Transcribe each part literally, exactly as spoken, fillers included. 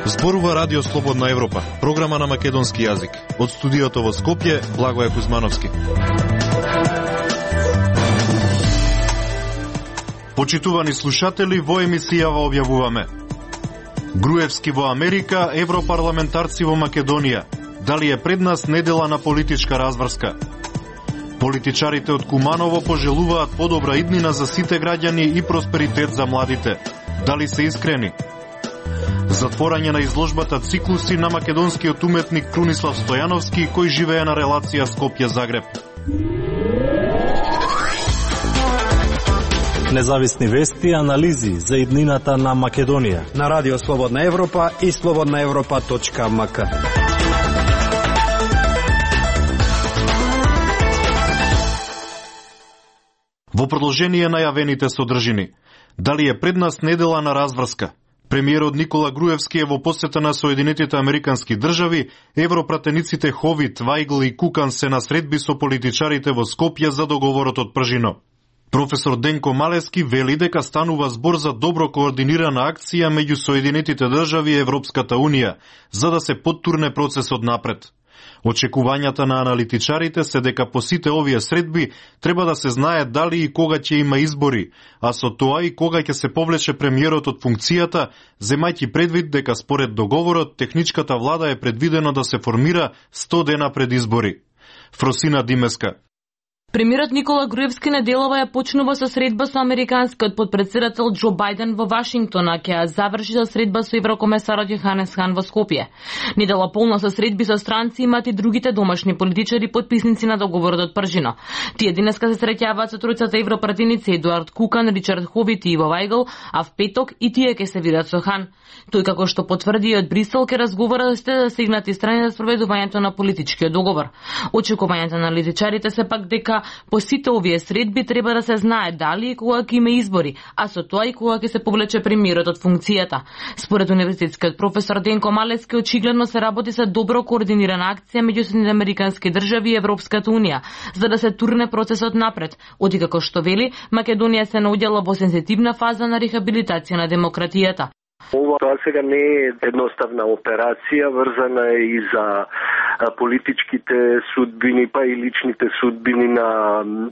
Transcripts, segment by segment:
Зборува Радио Слободна Европа, програма на македонски јазик. Од студиото во Скопје, Благоје Кузмановски. Почитувани слушатели, во емисијава објавуваме: Груевски во Америка, европарламентарци во Македонија. Дали е пред нас недела на политичка разврска? Политичарите од Куманово пожелуваат подобра иднина за сите граѓани и просперитет за младите. Дали се искрени? Затворање на изложбата Циклуси на македонскиот уметник Крунислав Стојановски, кој живее на релација Скопје-Загреб. Независни вести и анализи за иднината на Македонија на Радио Слободна Европа и слободна европа точка ем ка. Во продолжение на јавените содржини, дали е пред нас недела на разврска? Премиерот Никола Груевски е во посета на Соединетите Американски држави, европратениците Ховит, Вајгл и Кукан се на средби со политичарите во Скопје за договорот од Пржино. Професор Денко Малески вели дека станува збор за добро координирана акција меѓу Соединетите држави и Европската Унија, за да се поттурне процесот напред. Очекувањата на аналитичарите се дека по сите овие средби треба да се знае дали и кога ќе има избори, а со тоа и кога ќе се повлече премиерот од функцијата, земајќи предвид дека според договорот техничката влада е предвидено да се формира сто дена пред избори. Фросина Димеска. Премиерот Никола Груевски неделова ја почнува со средба со американскиот потпредседател Џо Бајден во Вашингтон, а ќе ја заврши со средба со еврокомесарот Јоханес Хан во Скопје. Недела полна со средби со странци имаат и другите домашни политичари потписници на договорот од Пржино. Тие денеска се среќаваат со тројцата европратеници Едуард Кукан, Ричард Ховит и Иво Вајгл, а в петок и тие ќе се видат со Хан. Тој, како што потврди и од Брисел, ќе разговара да сте засегнати страни за спроведувањето на политичкиот договор. Очекувањата на аналитичарите се пак дека по сите овие средби треба да се знае дали и кога ќе има избори, а со тоа и кога ќе се повлече премиерот од функцијата. Според универзитетскиот професор Денко Малески, очигледно се работи за добро координирана акција меѓу Соединетите Американски држави и Европската Унија, за да се турне процесот напред, оти како што вели, Македонија се наоѓала во сензитивна фаза на рехабилитација на демократијата. Ова тоа сега не е едноставна операција, врзана е и за политичките судбини, па и личните судбини на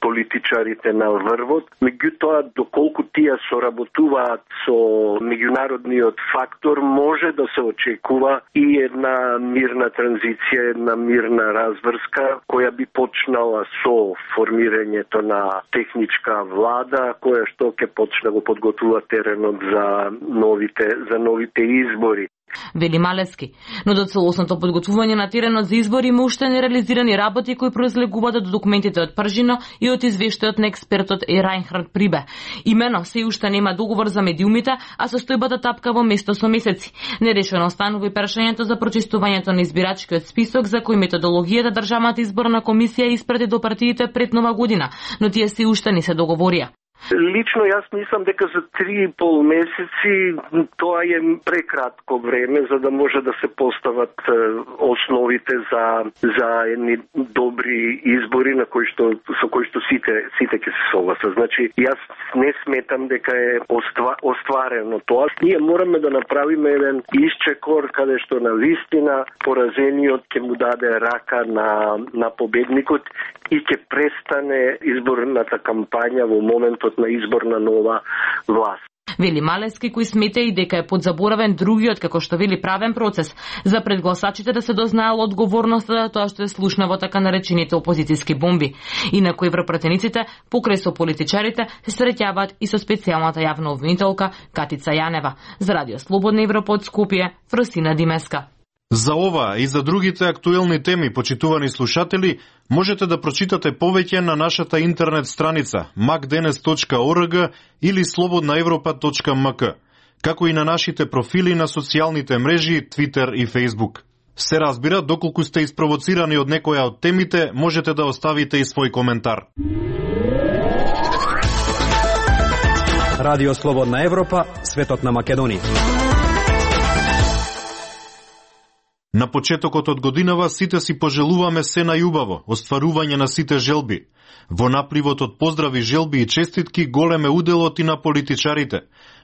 политичарите на врвот. Меѓутоа, доколку тие соработуваат со меѓународниот фактор, може да се очекува и една мирна транзиција, една мирна разврска, која би почнала со формирањето на техничка влада, која што ќе почне го подготвува теренот за новите за новите избори. Вели Малески, но до целосното подготвување на теренот за избори има уште нереализирани работи кои произлегуваат од документите од Пржино и од извештајот на експертот Е. Рајнхард Прибе. Имено се уште нема договор за медиумите, а состојбата тапка во место со месеци. Нерешено останува и прашањето за прочистувањето на избирачкиот список, за кој методологијата Државната изборна комисија испрати до партиите пред Нова година, но тие се уште не се договорија. Лично јас мислам дека за три и пол месеци тоа е прекратко време за да може да се постават основите за за едни добри избори на кои што со кои што сите сите ќе се согласат. Значи јас не сметам дека е оства, остварено тоа. Ние мораме да направиме еден исчекор каде што на вистина поразениот ќе му даде рака на на победникот и ќе престане изборната кампања во моментот на избор на нова власт. Вели Малески, кој смета и дека е подзаборавен другиот, како што вели, правен процес за пред гласачите да се дознаела одговорноста за тоа што е слушна во така наречените опозицијски бомби. Инаку европратениците, покрај со политичарите, се среќаваат и со специјалната јавна обвинителка Катица Јанева. За Радио Слободна Европа од Скопје, Фросина Димеска. За ова и за другите актуелни теми, почитувани слушатели, можете да прочитате повеќе на нашата интернет страница макденес точка орг или слободна европа точка ем ка, како и на нашите профили на социјалните мрежи Twitter и Facebook. Се разбира, доколку сте испровоцирани од некоја од темите, можете да оставите и свој коментар. Радио Слободна Европа, светот на Македонија. На почетокот од годинава сите си пожелуваме се најубаво, остварување на сите желби. Во напливот од поздрави, желби и честитки голем е уделот и на политичарите.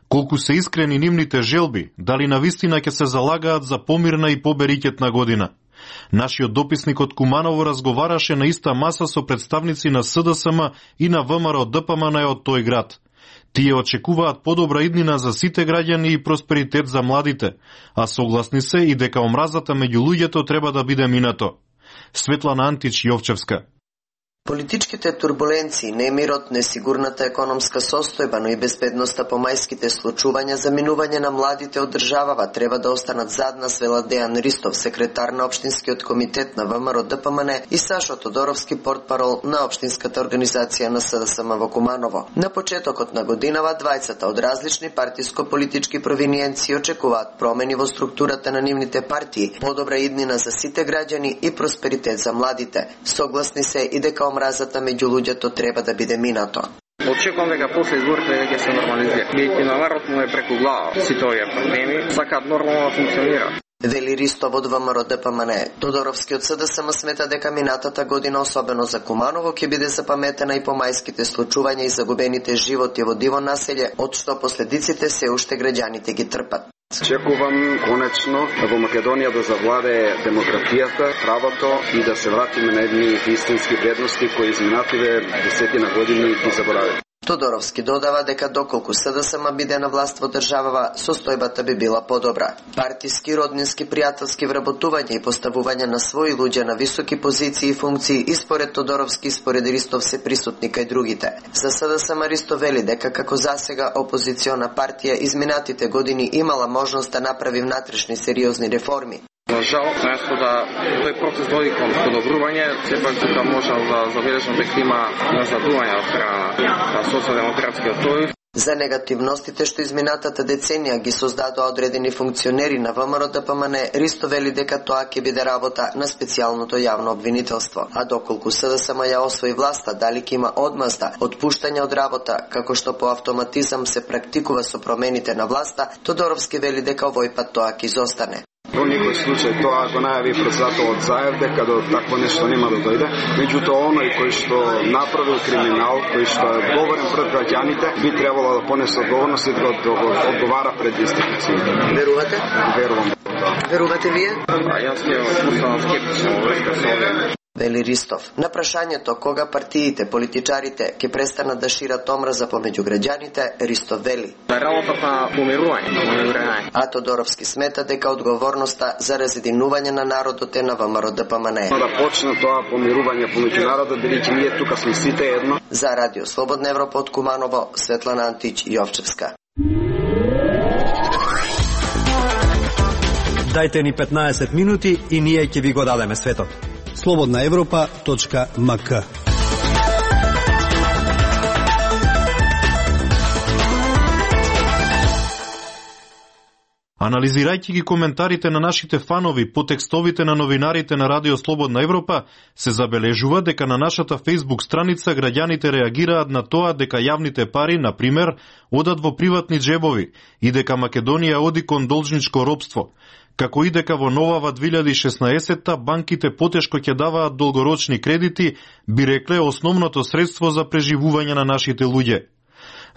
Колку се искрени нивните желби, дали навистина ќе се залагаат за помирна и поберикетна година. Нашиот дописник од Куманово разговараше на иста маса со представници на С Д С М и на В М Р Д П М Н од тој град. Тие очекуваат подобра иднина за сите граѓани и просперитет за младите, а согласни се и дека омразата меѓу луѓето треба да биде минато. Светлана Антич, Јовчевска. Политичките турбуленции, немирот, несигурната економска состојба, но и безбедноста по мајските случувања за минување на младите од државава треба да останат задна, свела Дејан Ристов, секретар на Општинскиот комитет на В М Р Д П М Н и Сашо Тодоровски, портпарол на Општинската организација на С Д С М во Куманово. На почетокот на годинава, двајцата од различни партиско-политички провиниенции очекуваат промени во структурата на нивните партии, подобра иднина за сите граѓани и просперитет за младите. Согласни се и дека омразата меѓу луѓето треба да биде минато. Очекувам дека после изборите ќе се нормализира. Бидејќи на народ му е преку глава сите овие проблеми, сакаат нормално да функционира. Вели Ристов од В М Р Д П М Н. Тодоровски од С Д С М смета дека минатата година, особено за Куманово, ќе биде запаметена и по мајските случувања и загубените животи во диво населје, од што последиците се уште граѓаните ги трпат. Очекувам конечно во Македонија да завладее демократијата, правото и да се вратиме на едни истински вредности кои изминативе десетина години ги забораваме. Тодоровски додава дека доколку С Д С М биде на власт во државава, состојбата би била подобра. Партиски, роднински, пријателски вработување и поставување на своји луѓе на високи позиции и функции и според Тодоровски и според Ристов се присутни кај другите. За С Д С М Ристов вели дека како засега опозициона партија изминатите години имала можност да направи внатрешни сериозни реформи. На жал, наместо да тој процес води кон подобрување, сепак тука можам да забележам дека има назадување од страна на социјалдемократскиот сојуз. За негативностите што изминатата деценија ги создадоа одредени функционери на В М Р Д П М Н, Ристо вели дека тоа ќе биде работа на специјалното јавно обвинителство. А доколку С Д С М ја освои власта, дали ќе има одмазда, отпуштање од работа, како што по автоматизам се практикува со промените на власта, Тодоровски вели дека овој пат тоа ќе изостане. Во никој случај тоа го најави председателот Заев дека до такво нешто нема да дојде, меѓутоа оној кој што направил криминал, кој што е одговорен пред граѓаните, би требало да понесе одговорност и да одговара пред институциите. Верувате? Верувам. Верувате вие? Јас ќе останам скептичен во врска со овие. Вели Ристов. На прашањето кога партиите, политичарите ќе престанат да шират омраза помеѓу граѓаните, Ристов вели: Да работата на помирување. А Тодоровски смета дека одговорноста за разединување на народот е на В М Р Д П М Н. Да почне тоа помирување помеѓу народот, бидејќи ние тука сме сите едно. За Радио Слободна Европа од Куманово, Светлана Антич, Јовчевска. Дајте ни петнаесет минути и ние ќе ви го дадеме светот. слободна европа точка м к. Анализирајќи ги коментарите на нашите фанови по текстовите на новинарите на Радио Слободна Европа, се забележува дека на нашата Facebook страница граѓаните реагираат на тоа дека јавните пари, на пример, одат во приватни джебови и дека Македонија оди кон должничко робство, како и дека во новава две илјади и шеснаесетта банките потешко ќе даваат долгорочни кредити, би рекле основното средство за преживување на нашите луѓе.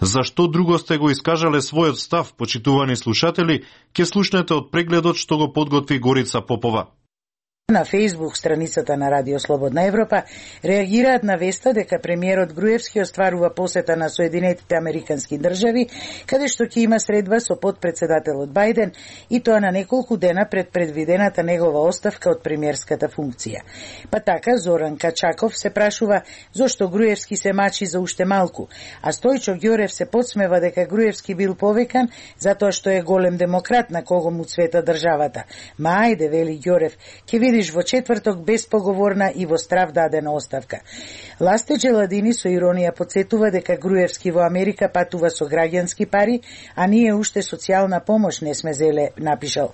Зашто друго сте го искажале својот став, почитувани слушатели, ќе слушнете од прегледот што го подготви Горица Попова. На Facebook страницата на Радио Слободна Европа реагираат на веста дека премиерот Груевски остварува посета на Соединетите Американски држави, каде што ќе има средба со подпредседателот Бајден, и тоа на неколку дена пред предвидената негова оставка од премиерската функција. Па така Зоран Качаков се прашува зошто Груевски се мачи за уште малку, а Стојчо Ѓорев се подсмева дека Груевски бил повекан затоа што е голем демократ на кого му цвета државата. Ма ајде, вели Ѓорев, ќе види Илиш во четврток беспоговорна и во страв дадена оставка. Ласте Джеладини со иронија подсетува дека Груевски во Америка патува со граѓански пари, а ние уште социјална помош не сме зеле, напишал.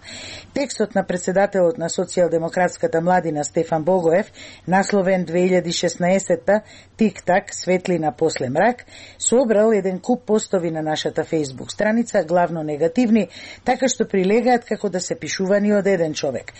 Текстот на председателот на социјалдемократската младина Стефан Богоев, насловен две илјади и шеснаесетта Тик-так, светлина после мрак, собрал еден куп постови на нашата Facebook страница, главно негативни, така што прилегаат како да се пишувани од еден човек.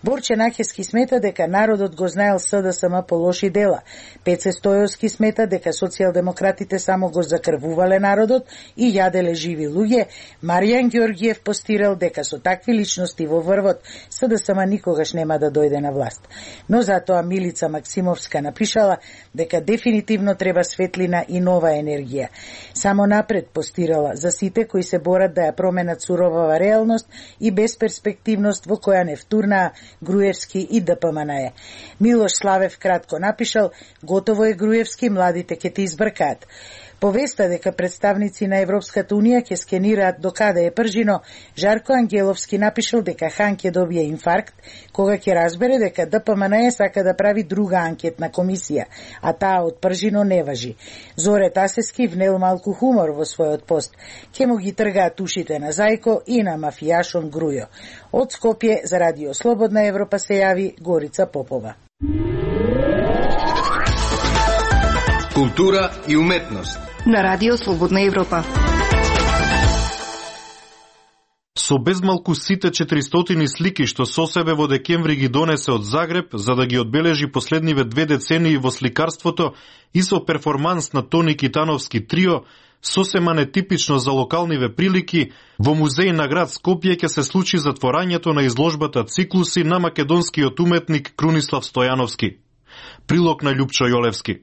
Борче Нахески смета дека народот го знаел СДСМ по лоши дела. Пеце Стојовски смета дека социјалдемократите само го закрвувале народот и јаделе живи луѓе. Маријан Ѓоргиев постирал дека со такви личности во врвот СДСМ никогаш нема да дојде на власт. Но затоа Милица Максимовска напишала дека дефинитивно треба светлина и нова енергија. Само напред постирала за сите кои се борат да ја променат суровава реалност и безперспективност во која не втурнаа Груевски и ДПМНЕ. Милош Славев кратко напишал: готово е Груевски, младите ќе те избркаат. Повеста дека представници на Европската Унија ќе скенираат до каде е пржино, Жарко Ангеловски напишал дека Хан ќе добие инфаркт кога ќе разбере дека ДПМНЕ сака да прави друга анкетна комисија, а таа од пржино не важи. Зоре Тасески внел малку хумор во својот пост. Ќе му ги тргаат ушите на Зајко и на мафијашон Грујо. Од Скопје за Радио Слободна Европа се јави Горица Попова. Култура и уметност на Радио Слободна Европа. Со безмалку сите четиристотини слики што со себе во декември ги донесе од Загреб за да ги одбележи последниве две децении во сликарството и со перформанс на Тони Китановски трио, сосема нетипично за локалниве прилики, во музеј на град Скопје ќе се случи затворањето на изложбата Циклуси на македонскиот уметник Крунислав Стојановски. Прилог на Љупчо Јолевски.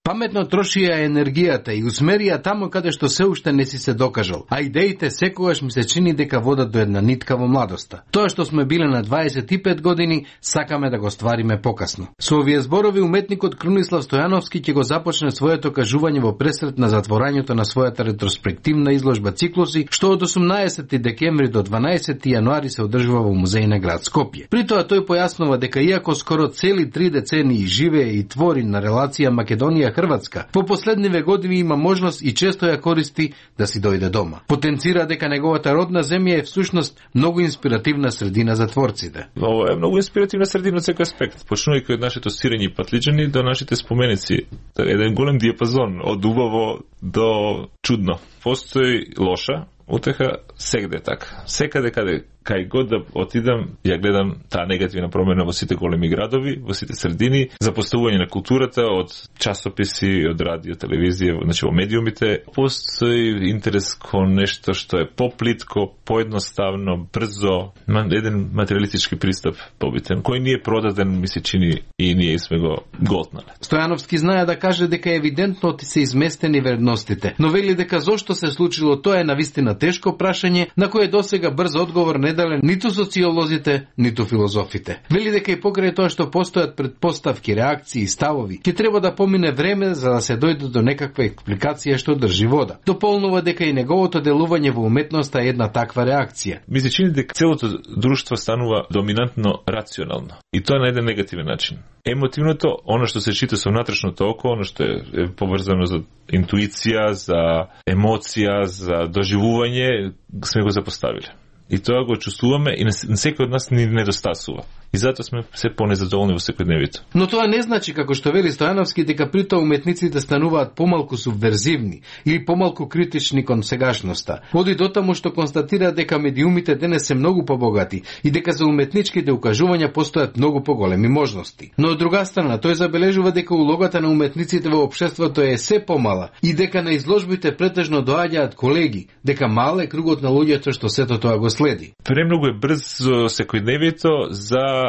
Паметно трошија енергијата и усмерија таму каде што се уште не си се докажал, а идеите секогаш ми се чини дека водат до една нитка во младоста. Тоа што сме биле на дваесет и пет години, сакаме да го ствариме покасно. Со овие зборови уметникот Крунислав Стојановски ќе го започне своето кажување во пресрет на затворањето на својата ретроспективна изложба Циклуси, што од осумнаесети декември до дванаесети јануари се одржува во музеј на град Скопје. При тоа тој појаснува дека иако скоро цели три децении живее и твори на релација Македонија Хрватска, по последниве години има можност и често ја користи да си дојде дома. Потенцира дека неговата родна земја е всушност многу инспиративна средина за творците. Ова е многу инспиративна средина од секој аспект, почнувајќи од нашето сирење и патлиџани до нашите споменици. Еден голем диапазон од убаво до чудно. Постои лоша утеха сегде така. Секаде каде кај год да отидам, ја гледам таа негативна промена во сите големи градови, во сите средини, за поставување на културата од часописи, од радио, телевизија, значи во медиумите. Постои интерес кон нешто што е поплитко, поедноставно, брзо, еден материалистички пристап побитен, кој ни е продаден, ми се чини, и ние сме го готнале. Стојановски знае да каже дека евидентно ти се изместени вредностите, но вели дека зошто се случило тоа е навистина тешко прашање на кое досега брз одговор не дале ниту социолозите, ниту филозофите. Вели дека и покрај тоа што постојат предпоставки, реакции и ставови, ќе треба да помине време за да се дојде до некаква експликација што држи вода. Дополнува дека и неговото делување во уметноста е една таква реакција. Ми се чини дека целото друштво станува доминантно рационално. И тоа на еден негативен начин. Емотивното, оно што се чита со внатрешното око, оно што е поврзано за интуиција, за емоција, за доживување, сме го запоставиле. И тоа го чувствуваме и на секој од нас ни недостасува. И затоа сме се понезадоволни во секојдневието. Но тоа не значи, како што вели Стојановски, дека при тоа уметниците стануваат помалку субверзивни или помалку критични кон сегашноста. Оди до таму што констатира дека медиумите денес се многу побогати и дека за уметничките укажувања постојат многу поголеми можности. Но од друга страна, тој забележува дека улогата на уметниците во општеството е се помала и дека на изложбите претежно доаѓаат колеги, дека мал е кругот на луѓето што сето тоа го следи. Премногу е брз секојдневието за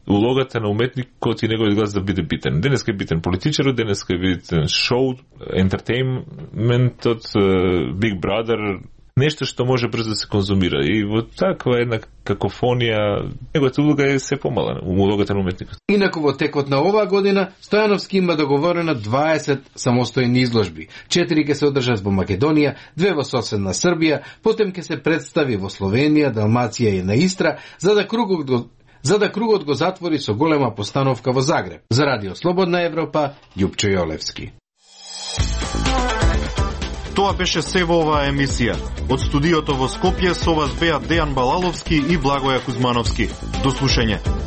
улогата на уметникот и неговиот глас да биде битен. Денеска е битен политичарот, денеска е битен шоу, ентертејнментот, Big Brother, нешто што може брзо да се конзумира. И во таква една какофонија, неговата улога е се помала, улогата на уметникот. Инаку во текот на оваа година, Стојановски има договорено дваесет самостојни изложби. Четири ќе се одржат во Македонија, две во соседна Србија, потем ќе се представи во Словенија, Далмација и на Истра, за да кругот за да кругот го затвори со голема постановка во Загреб. За Радио Слободна Европа, Љупчо Јолевски. Тоа беше се во оваа емисија. Од студиото во Скопје со вас беа Дејан Балаловски и Благоја Кузмановски. До слушање.